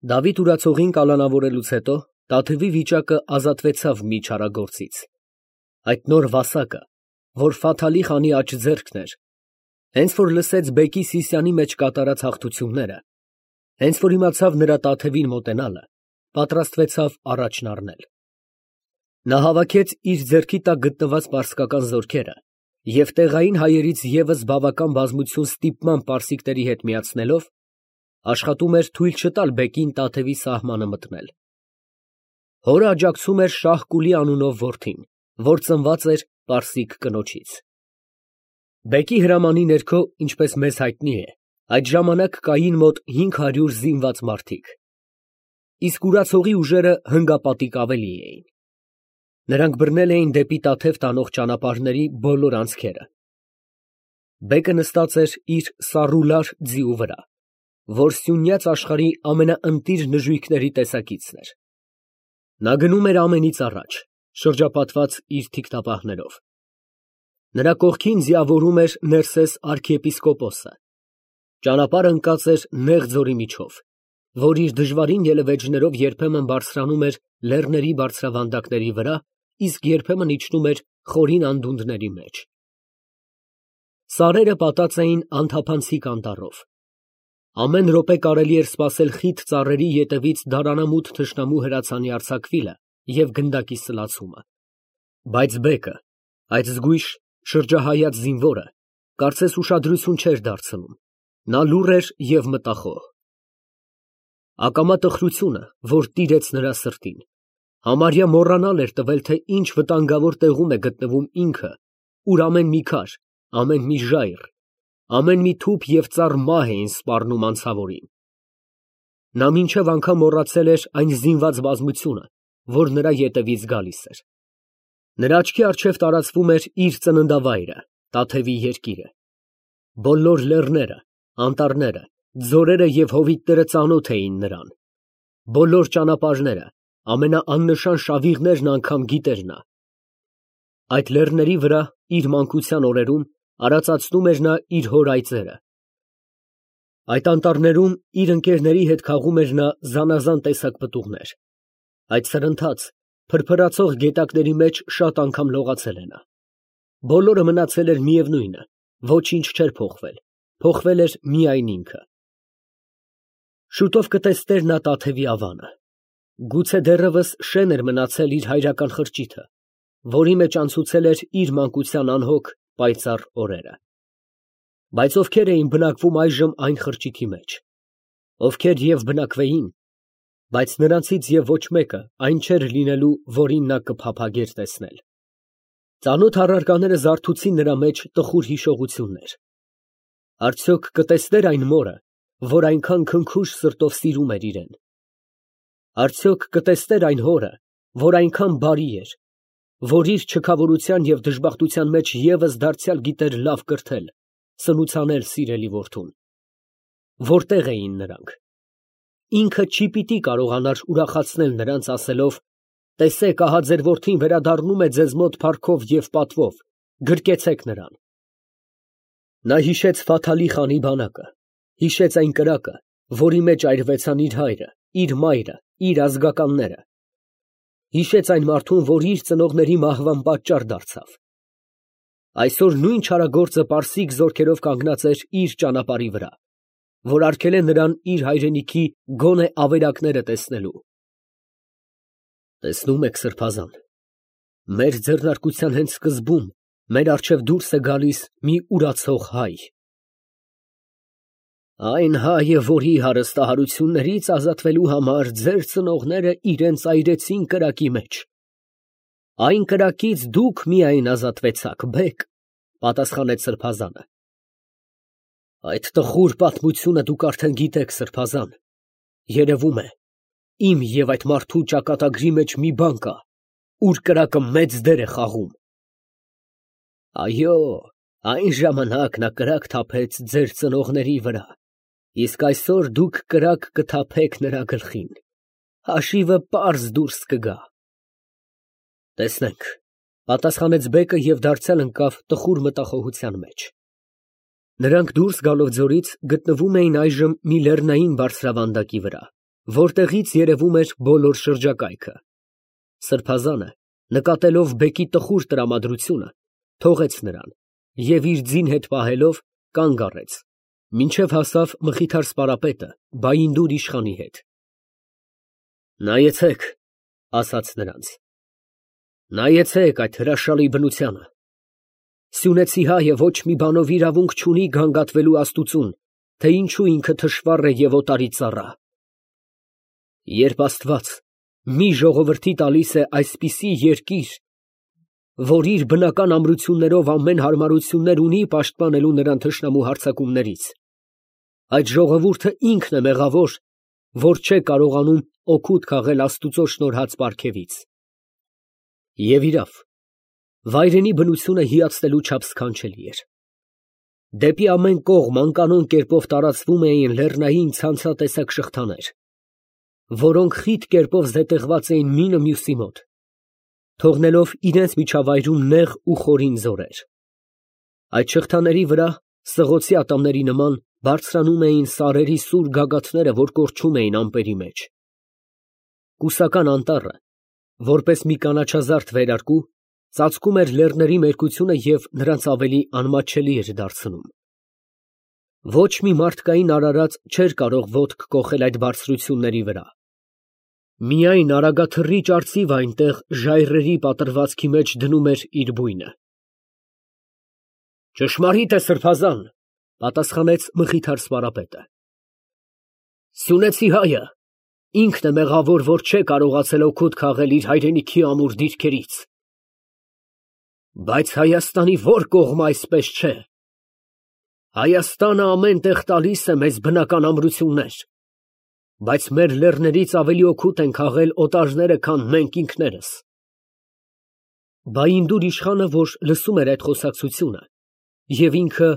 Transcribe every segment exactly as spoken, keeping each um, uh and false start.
Դավիթ ուրացողին կալանավորելուց հետո Տաթևի վիճակը ազատվեցավ մի չարագործից, այդ նոր վասակը, որ Ֆաթալի խանի աջ ձեռքն էր, հենց որ լսեց բեկի Սիսիանի մեջ կատարած հաղթությունները, հենց որ իմացավ նրա Տաթևին մոտենալը, պատրաստվեցավ առաջն առնել։ Նա հավաքեց իր ձեռքի տակ գտնված պարսկական զորքերը և տեղային հայերից ևս բավական բազմություն ստիպման պարսիկների հետ միացնելով, աշխատում էր թույլ չտալ բեկին Տաթևի սահմանը մտնել։ Հորը աջակցում էր Շահ֊Կուլի անունով որդին, որ ծնված էր պարսիկ կնոջից։ Բեկի հրամանի ներքո, ինչպես մեզ հայտնի է, այդ ժամանակ կային մոտ հինգ հարյուր զինված մարդիկ, իսկ ուրացողի ուժերը հնգապատիկ ավելի էին։ Նրանք բռնել էին դեպի Տաթև տանող ճանապարհների բոլոր անցքերը։ Բեկը նստած էր իր սառուլար ձիու վրա, որ սյունյաց աշխարհի ամենաընտիր նժույգների տեսակիցն էր։ Նա գնում էր ամենից առաջ, շրջապատված իր թիկնապահներով։ Նրա կողքին ձիավորում էր Ներսես արքիեպիսկոպոսը։ Ճանապարհը ընկած էր նեղ ձորի միջով, որ իր դժվարին ելևէջներով երբեմն բարձրանում էր լեռների բարձրավանդակների վրա, իսկ երբեմն իջնում էր խորին անդունդների մեջ։ Սարերը պատած էին անթափանցիկ անտառով։ Ամեն րոպե կարելի էր սպասել խիտ ծառերի ետևից դարանամութ թշնամու հրացանի արձակվիլը և գնդակի սլացումը։ Բայց բեկը, այդ զգույշ, շրջահայաց զինվորը, կարծես ուշադրություն չէր դարձնում, նա լուռ էր և մտախոհ։ Ակամա տխրությունը, որ տիրեց նրա սրտին, համարյա մոռանալ էր տվել, թե ինչ վտանգավոր տեղում է գտնվում ինքը, ուր ամեն մի քար, ամեն մի ժայռ, ամեն մի թուփ և ծառ մահ էին սպառնում անցավորին։ Նա մինչև անգամ մոռացել էր այն զինված բազմությունը, որ նրա ետևից գալիս էր։ Նրա աչքի առջև տարածվում էր իր ծննդավայրը, Տաթևի երկիրը։ Բոլոր լեռները, անտառները, ձորերը և հովիտները ծանոթ էին նրան։ Բոլոր ճանապարհները, ամենաաննշան շավիղներն անգամ գիտեր նա։ Այդ լեռների վրա իր մանկության օրերում արածացնում էր նա իր հոր այծերը։ Այդ անտառներում իր ընկերների հետ խաղում էր նա զանազան տեսակ պտուղներ։ Այդ սրընթաց, փրփրացող գետակների մեջ շատ անգամ լողացել է նա։ Բոլորը մնացել էր միևնույնը, ոչինչ չէր փոխվել, փոխվել էր միայն ինքը։ Շուտով կտեսներ նա Տաթևի ավանը։ Գուցե դեռևս շեն էր մնացել իր հայրական խրճիթը, որի մեջ անցուցել էր իր մանկության անհոգ, պայծառ օրերը։ Բայց ովքեր էին բնակվում այժմ այն խրճիթի մեջ, ովքեր և բնակվեին, բայց նրանցից և ոչ մեկը այն չէր լինելու, որին նա կփափագեր տեսնել։ Ծանոթ առարկաները զարթուցին նրա մեջ տխուր հիշողություններ։ Արդյոք կտեսներ այն մորը, որ այնքան քնքուշ սրտով սիրում էր իրեն։ Արդյոք կտեսներ այն հորը, որ այնքան բարի էր, որ իր չքավորության և դժբախտության մեջ ևս դարձյալ գիտեր լավ կրթել, սնուցանել սիրելի որդուն։ Որտե՞ղ էին նրանք։ Ինքը չի պիտի կարողանար ուրախացնել նրանց ասելով. «Տեսեք, ահա ձեր որդին վերադառնում է ձեզ մոտ փառքով և պատվով, գրկեցեք նրան»։ Նա հիշեց Ֆաթալի խանի բանակը, հիշեց այն կրակը, որի մեջ այրվեցան իր հայրը, իր մայրը, իր ազգականները։ Հիշեց այն մարդուն, որ իր ծնողների մահվան պատճառ դարձավ։ Այսօր նույն չարագործը պարսիկ զորքերով կանգնած էր իր ճանապարհի վրա, որ արգել է նրան իր հայրենիքի գոնե ավերակները տեսնելու։ Տեսնում եք, սրբազան, մեր ձեռնարկության հենց սկզբում մեր առջև դուրս է գալիս մի ուրացող հայ։ Այն հայը, որի հարստահարություններից ազատվելու համար ձեր ծնողները իրենց այրեցին կրակի մեջ։ Այն կրակից դուք միայն ազատվեցաք, բեկ, պատասխանեց սրբազանը։ Այդ տխուր պատմությունը դուք արդեն գիտեք, սրբազան, երևում է, իմ և այդ մարդու ճակատագրի մեջ մի բան կա, ուր կրակը մեծ դեր է խաղում։ Այո, այն ժամանակ նա կրակ թափեց ձեր ծնողների վրա, իսկ այսօր դուք կրակ կթափեք նրա գլխին, հաշիվը պարզ դուրս կգա։ Տեսնենք, պատասխանեց բեկը և դարձյալ ընկավ տխուր մտախոհության մեջ։ Նրանք դուրս գալով ձորից գտնվում էին այժմ մի լեռնային բարձրավանդակի վրա, որտեղից երևում էր բոլոր շրջակայքը։ Սրբազանը, նկատելով բեկի տխուր տրամադրությունը, թողեց նրան և իր ձին հետ պահելով կանգ առեց, մինչև հասավ մխիթար սպարապետը Բայինդուր իշխանի հետ։ «Նայեցեք», ասաց նրանց, «նայեցեք այդ հրաշալի բնությանը։ Սյունեցի հայը ոչ մի բանով իրավունք չունի գանգատվելու աստուծուն, թե ինչու ինքը թշվառ է և օտարի ծառա։ Երբ Աստված մի ժողովրդի տալիս է այսպիսի երկիր, որ իր բնական ամրություններով ամեն հարմարություններ ունի պաշտպանելու նրան թշնամու հարձակումներից, այդ ժողովուրդը ինքն է մեղավոր, որ չէ կարողանում օգուտ քաղել Աստուծո շնորհած պարգևից։ Եվ իրավ, վայրենի բնությունը հիացնելու չափ սքանչելի էր։ Դեպի ամեն կողմ անկանոն կերպով տարածվում էին լեռնային ցանցատեսակ շղթաներ, որոնք խիտ կերպով զետեղված էին մինը մյուսի մոտ, թողնելով իրենց միջավայրում նեղ ու խորին ձորեր։ Այդ շղթաների վրա, սղոցի ատամների նման, բարձրանում էին սարերի սուր գագաթները, որ կորչում էին ամպերի մեջ։ Կուսական անտառը, որպես մի կանաչազարդ վերարկու, ծածկում էր լեռների մերկությունը և նրանց ավելի անմատչելի էր դարձնում։ Ոչ մի մարդկային արարած չէր կարող ոտք կոխել այդ բարձրությունների վրա։ Միայն արագաթռիչ արծիվը այնտեղ ժայռերի պատրվածքի մեջ դնում էր իր բույնը։ Ճշմարիտ է, սրբազան, պատասխանեց մխիթար սպարապետը։ Սյունեցի հայը ինքն է մեղավոր, որ չէ կարողացել օգուտ քաղել իր հայրենիքի ամուր դիրքերից։ Բայց Հայաստանի ո՞ր կողմը այսպես չէ։ Հայաստանը ամեն տեղ տալիս է մեզ բնական ամրություններ, բայց մեր լեռներից ավելի օգուտ են քաղել օտարները, քան մենք ինքներս։ Բայինդուր իշխանը, որ լսում էր այդ խոսակցությունը, և ինքը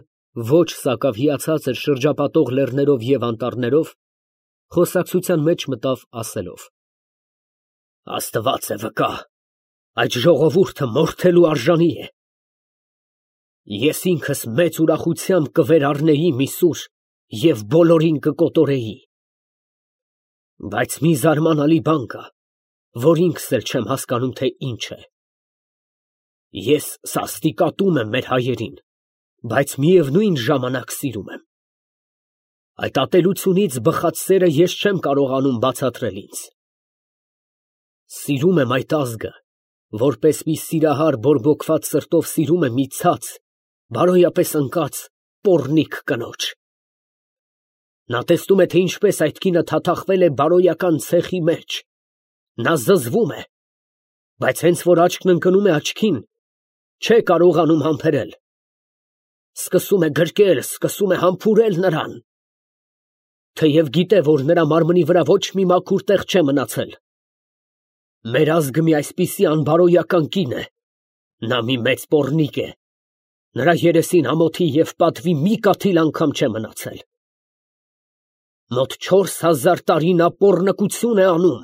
ոչ սակավ հիացած էր շրջապատող լեռներով և անտառներով, խոսակցության մեջ մտավ ասելով. Աստված է վկա, այդ ժողովուրդը մորթելու արժանի է։ Ես ինքս մեծ ուրախությամբ կվերառնեի մի սուր և բոլորին կկոտորեի։ Բայց մի զարմանալի բան կա, որ ինքս էլ չեմ հասկանում, թե ինչ է։ Ես սաստիկ ատում եմ մեր հայերին, բայց միևնույն ժամանակ սիրում եմ։ Այդ ատելությունից բխած սերը ես չեմ կարողանում բացատրել ինձ։ Սիրում եմ այդ ազգը, որպես մի սիրահար բորբոքված սրտով սիրում է մի ցած, բարոյապես ընկած պոռնիկ կնոջ։ Նա տեսնում է, թե ինչպես այդ կինը թաթախվել է բարոյական ցեխի մեջ։ Նա զզվում է, բայց հենց որ աչքն ընկնում է աչքին, չէ կարողանում համբերել։ Սկսում է գրկել, սկսում է համբուրել նրան։ Թեև գիտե, որ նրա մարմնի վրա ոչ մի մաքուր տեղ չէ մնացել։ Մեր ազգը մի այսպիսի անբարոյական կին է, նա մի մեծ պոռնիկ է, նրա երեսին ամոթի և պատվի մի կաթիլ անգամ չէ մնացել։ Մոտ չորս հազար տարի նա պոռնկություն է անում,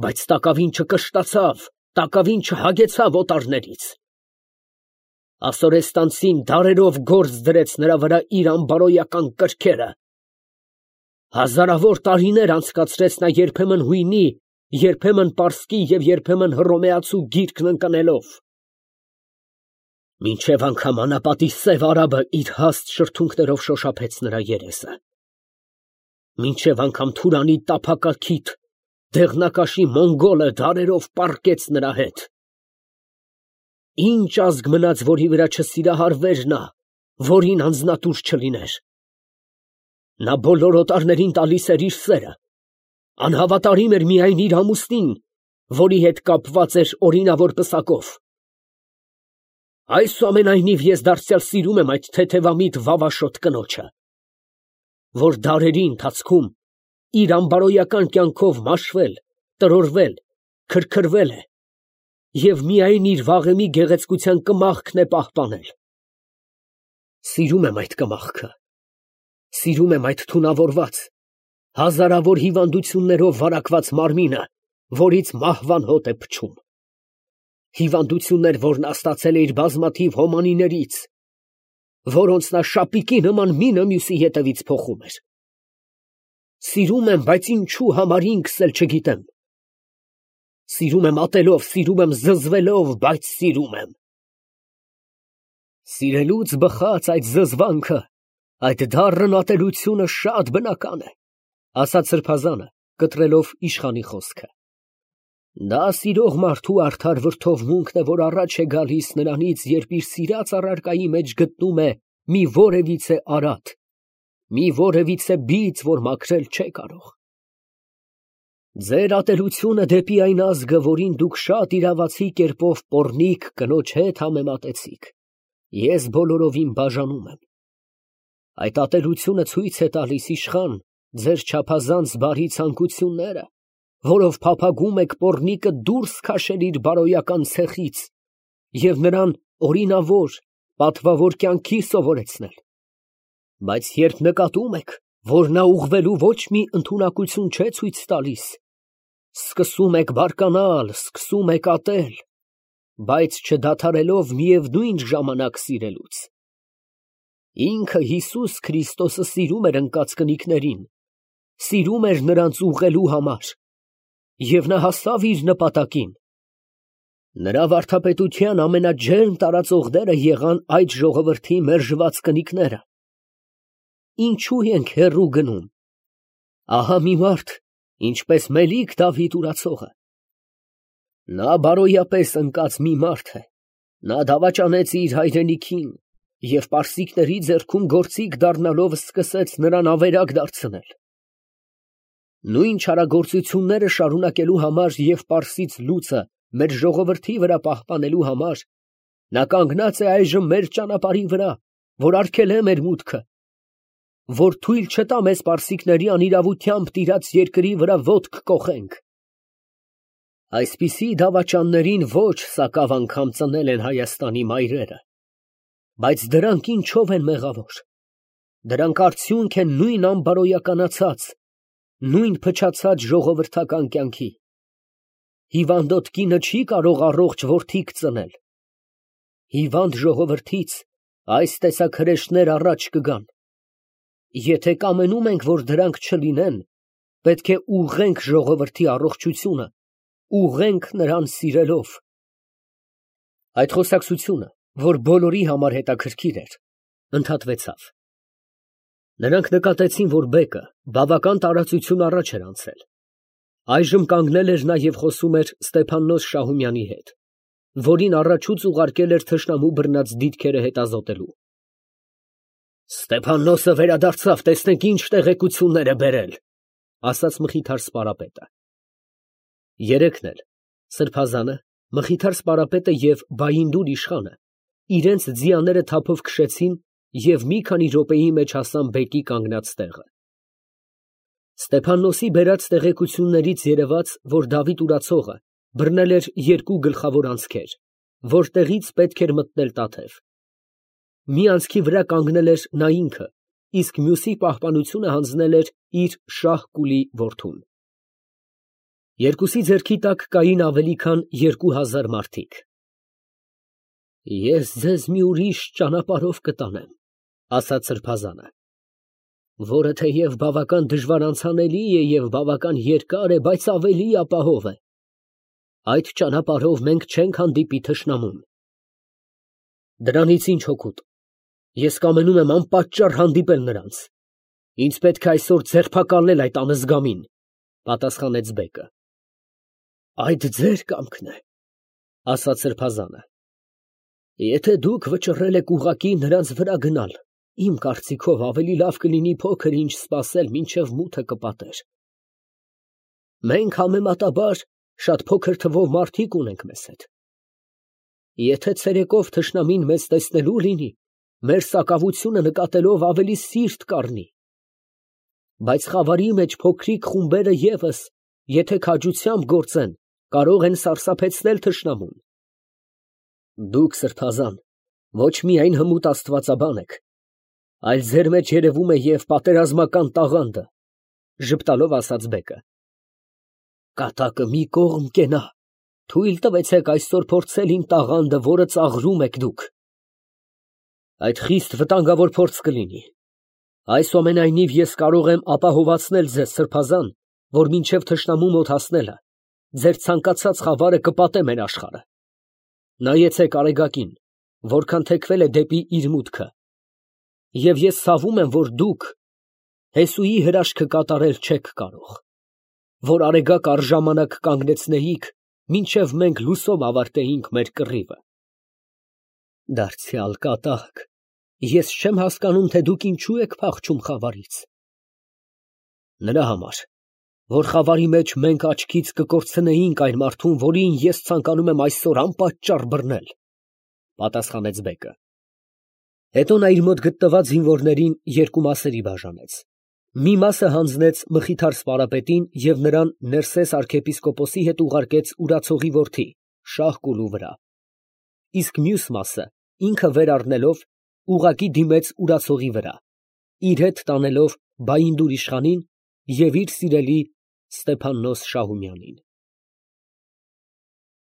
բայց տակավին չկշտացավ, տակավին չհագեցավ օտարներից։ Ասորեստանցին դարերով գործ դրեց նրա վրա իր անբարոյական կրքերը։ Հազարավոր տարիներ անցկացրեց նա երբեմն հույնի, երբեմն պարսկի և երբեմն հռոմեացու գիրկն ընկնելով։ Մինչև անգամ անապատի սև արաբը իր հաստ շրթունքներով շոշափեց նրա երեսը։ Մինչև անգամ Թուրանի տափակաքիթ, դեղնակաշի մոնգոլը դարերով պառկեց նրա հետ։ Ինչ ազգ մնաց, որի վրա չսիրահարվեր նա, որին անձնատուր չլիներ։ Նա բոլոր օտարներին տալիս էր իր սերը, անհավատարիմ էր միայն իր ամուսնին, որի հետ կապված էր օրինավոր պսակով։ Այսուամենայնիվ ես դարձյալ սիրում եմ այդ թեթևամիտ վավաշոտ կնոջը, որ դարերի ընթացքում իր անբարոյական կյանքով մաշվել, տրորվել, քրքրվել է և միայն իր վաղեմի գեղեցկության կմախքն է պահպանել։ Սիրում եմ այդ կմախքը, սիրում եմ այդ թունավորված, հազարավոր հիվանդություններով վարակված մարմինը, որից մահվան հոտ է փչում։ Հիվանդություններ, որ նա ստացել է իր բազմաթիվ հոմանիներից, որոնց նա շապիկի նման մինը մյուսի ետևից փոխում էր։ Սիրում եմ, բայց ինչու համար ինքս էլ չգիտեմ։ Սիրում եմ ատելով, սիրում եմ զզվելով, բայց սիրում եմ։ Սիրելուց բխած այդ զզվանքը, այդ դառն ատելությունը շատ բնական է, ասաց սրբազանը, կտրելով իշխանի խոսքը։ Դա սիրող մարդու արդար վրդովմունքն է, որ առաջ է գալիս նրանից, երբ իր սիրած առարկայի մեջ գտնում է մի որևիցե արատ, մի որևիցե բիծ, որ մաքրել չէ կարող։ Ձեր ատելությունը դեպի այն ազգը, որին դուք շատ իրավացի կերպով պոռնիկ կնոջ հետ համեմատեցիք, ես բոլորովին բաժանում եմ։ Այդ ատելությունը ցույց է տալիս, իշխան, ձեր չափազանց բարի ցանկությունները, որով փափագում եք պոռնիկը դուրս քաշել իր բարոյական ցեխից և նրան օրինավոր, պատվավոր կյանքի սովորեցնել։ Բայց երբ նկատում եք, որ նա ուղղվելու ոչ մի ընդունակություն չէ ցույց տալիս, սկսում եք բարկանալ, սկսում եք ատել, բայց չդադարելով միևնույն ժամանակ սիրելուց։ Ինքը Հիսուս Քրիստոսը սիրում էր ընկած կնիկներին, սիրում էր նրանց ուղղելու համար, և նա հասավ իր նպատակին։ Նրա վարդապետության ամենաջերմ տարածողները եղան այդ ժողովրդի մերժված կնիկները։ Ինչու ենք հեռու գնում։ Ահա մի մարդ, ինչպես Մելիք Դավիթ ուրացողը։ Նա բարոյապես ընկած մի մարդ է, նա դավաճանեց իր հայրենիքին և պարսիկների ձեռքում գործիք դառնալով սկսեց նրան ավերակ դարձնել։ Նույն չարագործությունները շարունակելու համար և պարսից լուծը մեր ժողովրդի վրա պահպանելու համար նա կանգնած է այժմ մեր ճանապարհի վրա, որ արգելե մեր մուտքը, որ թույլ չտա մեզ պարսիկների անիրավությամբ տիրած երկրի վրա ոտք կոխենք։ Այսպիսի դավաճաններին ոչ սակավ անգամ ծնել են Հայաստանի մայրերը, բայց դրանք ինչով են մեղավոր։ Դրանք արդյունք են նույն անբարոյականացած, նույն փչացած ժողովրդական կյանքի։ Հիվանդոտ կինը չի կարող առողջ որդիք ծնել։ Հիվանդ ժողովրդից այս տեսակ հրեշներ առաջ կգան։ Եթե կամենում ենք, որ դրանք չլինեն, պետք է ուղղենք ժողովրդի առողջությունը, ուղղենք նրան սիրելով։ Այդ խոսակցությունը, որ բոլորի համար հետաքրքիր էր, ընդհատվեցավ։ Նրանք նկատեցին, որ բեկը բավական տարածություն առաջ էր անցել։ Այժմ կանգնել էր նա և խոսում էր Ստեփաննոս Շահումյանի հետ, որին առաջուց ուղարկել էր թշնամու բռնած դիրքերը հետազոտելու։ Ստեփաննոսը վերադարձավ, տեսնենք ինչ տեղեկություններ է բերել, ասաց Մխիթար սպարապետը։ Երեքն էլ, սրբազանը, Մխիթար սպարապետը և Բայինդուր իշխանը, իրենց ձիաները թափով քշեցին և մի քանի րոպեի մեջ հասան բեկի կանգնած տեղը։ Ստեփաննոսի բերած տեղեկություններից երևաց, որ Դավիթ ուրացողը բռնել էր երկու գլխավոր անցքեր, որտեղից պետք էր մտնել Տաթև։ Մի անցքի վրա կանգնել էր նա ինքը, իսկ մյուսի պահպանությունը հանձնել էր իր Շահ֊Կուլի որդուն։ Երկուսի ձեռքի տակ կային ավելի քան երկու հազար մարդիկ։ Ես ձեզ մի ուրիշ ճանապարհով կտանեմ, ասաց սրբազանը, որը թեև բավական դժվար անցանելի է և բավական երկար է, բայց ավելի ապահով է։ Այդ ճանապարհով մենք չենք հանդիպի թշնամուն։ Դրանից ինչ հոգուտ։ Ես կամենում եմ անպատճառ հանդիպել նրանց։ Ինձ պետք է այսօր ձերբակալել այդ անզգամին, պատասխանեց բեկը։ Այդ ձեր կամքն է, ասաց սրբազանը։ Եթե դուք վճռել եք ուղղակի նրանց վրա գնալ, իմ կարծիքով ավելի լավ կլինի փոքր ինչ սպասել, մինչև մութը կպատեր։ Մենք համեմատաբար շատ փոքր թվով մարդիկ ունենք մեզ հետ։ Եթե ցերեկով թշնամին մեզ տեսնելու լինի, մեր սակավությունը նկատելով ավելի սիրտ կառնի։ Բայց խավարի մեջ փոքրիկ խումբերը ևս, եթե քաջությամբ գործեն, կարող են սարսափեցնել թշնամուն։ Դուք, սրբազան, ոչ միայն հմուտ աստվածաբան եք, այլ ձեր մեջ երևում է և պատերազմական տաղանդը, ժպտալով ասաց բեկը։ Կատակը մի կողմ կենա, թույլ տվեցեք այսօր փորձել իմ տաղանդը, որը ծաղրում եք դուք։ Այդ խիստ վտանգավոր փորձ կլինի։ Այսուամենայնիվ ես կարող եմ ապահովացնել ձեզ, սրբազան, որ մինչև թշնամու մոտ հասնելը ձեր ցանկացած խավարը կպատե մեր աշխարհը։ Նայեցեք Արեգակին, որքան թեքվել է դեպի իր մուտքը, և ես ցավում եմ, որ դուք Հեսուի հրաշքը կատարել չեք կարող, որ Արեգակ առժամանակ կանգնեցնեիք, մինչև մենք լուսով ավարտեինք մեր կռիվը։ Դարձյալ կատակ, ես չեմ հասկանում, թե դուք ինչու եք փախչում խավարից։ Նրա համար, որ խավարի մեջ մենք աչքից կկորցնեինք այն մարդուն, որին ես ցանկանում եմ այսօր անպատճառ բռնել, պատասխանեց բեկը։ Հետո նա իր մոտ գտնված զինվորներին երկու մասերի բաժանեց։ Մի մասը հանձնեց Մխիթար սպարապետին և նրան Ներսես arքեպիսկոպոսի հետ ուղարկեց Ուրացողի որդի Շահ֊Կուլու վրա, իսկ մյուս մասը ինքը վեր առնելով ուղղակի դիմեց Ուրացողի վրա, իր հետ տանելով Բայնդուր իշխանին և իր սիրելի Ստեփաննոս Շահումյանին։